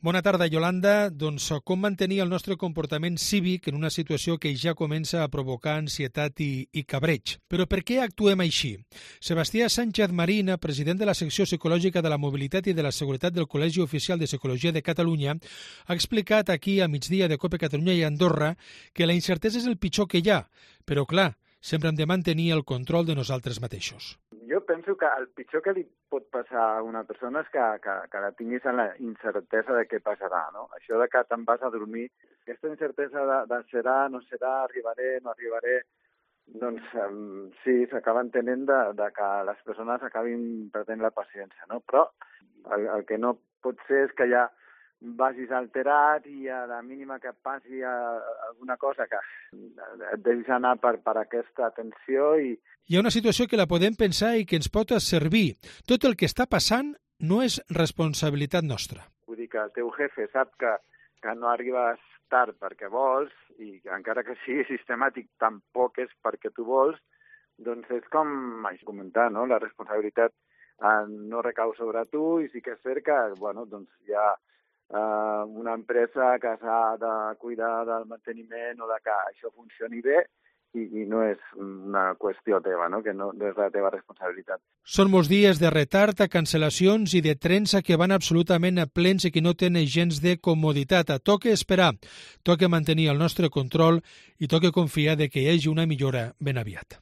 Bona tarda, Yolanda. Doncs com mantenir el nostre comportament cívic en una situació que ja comença a provocar ansietat i cabreig. Però per què actuem així? Sebastià Sánchez Marina, president de la secció psicològica de la mobilitat i de la seguretat del Col·legi Oficial de Psicologia de Catalunya, ha explicat aquí a migdia de COPE Catalunya i Andorra que la incertesa és el pitjor que hi ha, però clar, sempre hem de mantenir el control de nosaltres mateixos. Jo penso que el pitjor que li pot passar a una persona és que la tinguis en la incertesa de què passarà, no? Això de que te'n vas a dormir, aquesta incertesa de serà, no serà, arribaré, no arribaré, doncs sí, s'acaba entenent de que les persones acabin perdent la paciència, no? Però el que no pot ser és que ja vagis alterat i a la mínima que passi alguna cosa que et deixis anar per aquesta tensió i... Hi ha una situació que la podem pensar i que ens pot servir. Tot el que està passant no és responsabilitat nostra. Vull dir que el teu jefe sap que no arribes tard perquè vols i encara que sigui sistemàtic tampoc és perquè tu vols, doncs és com vaig comentar, no? La responsabilitat no recau sobre tu i sí que és cert que doncs hi ha una empresa que s'ha de cuidar del manteniment o de que això funcioni bé i no és una qüestió teva, no? Que no és la teva responsabilitat. Són molts dies de retard, cancel·lacions i de trens que van absolutament plens i que no tenen gens de comoditat. Toca esperar, toca mantenir el nostre control i toca confiar que hi hagi una millora ben aviat.